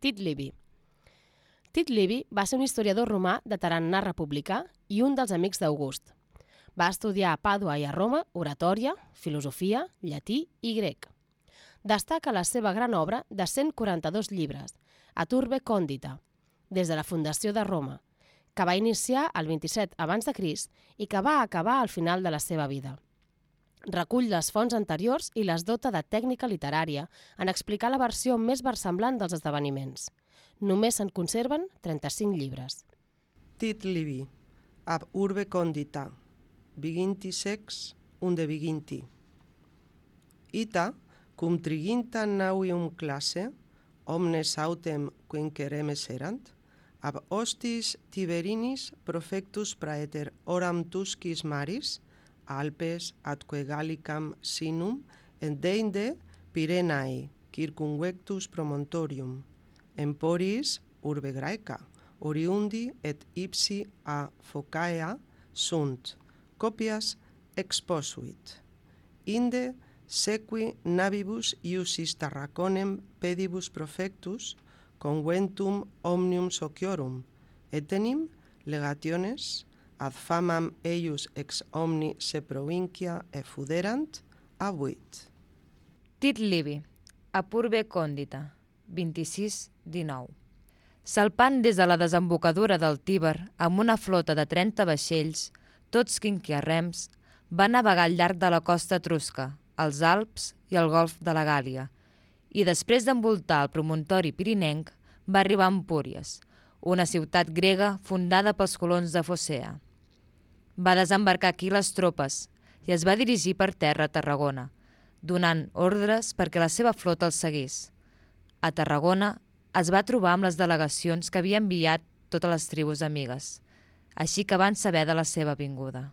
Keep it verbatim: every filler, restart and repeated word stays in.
Tit Livi. Tit Livi va ser un historiador romà de tarannà republicà i un dels amics d'August. Va estudiar a Pàdua i a Roma oratòria, filosofia, llatí i grec. Destaca la seva gran obra de cent quaranta-dos llibres, Ad Urbe Condita, des de la fundació de Roma, que va iniciar el vint-i-set abans de Crist i que va acabar al final de la seva vida. Recull les fonts anteriors i les dota de tècnica literària en explicar la versió més versemblant dels esdeveniments. Només se'n conserven trenta-cinc llibres. Tit Livi, Ab Urbe Condita, viginti sex, unde viginti. Ita, cum triginta navium classe, omnes autem quinqueremes erant, ab hostis Tiberinis profectus praeter oram tuscis maris, Alpes atque Gallicam sinum, endeinde Pyrenae, circumvectus promontorium, emporis urbe Graeca, oriundi et ipsi a Phocaea sunt, copias exposuit. Inde sequi navibus iusis Tarraconem pedibus profectus, conventum omnium sociorum, etenim legationes, ad famam eius ex omni se provincia effuderant, abuit. Tit Livi, Ab Urbe Condita, vint-i-sis dinou. Salpant des de la desembocadura del Tíber amb una flota de trenta vaixells, tots quinquiarrems, va navegar al llarg de la costa etrusca, els Alps i el golf de la Gàl·lia, i després d'envoltar el promontori pirinenc va arribar a Empúries, una ciutat grega fundada pels colons de Focea. Va desembarcar aquí les tropes i es va dirigir per terra a Tarragona, donant ordres perquè la seva flota el seguís. A Tarragona es va trobar amb les delegacions que havia enviat totes les tribus amigues, així que van saber de la seva vinguda.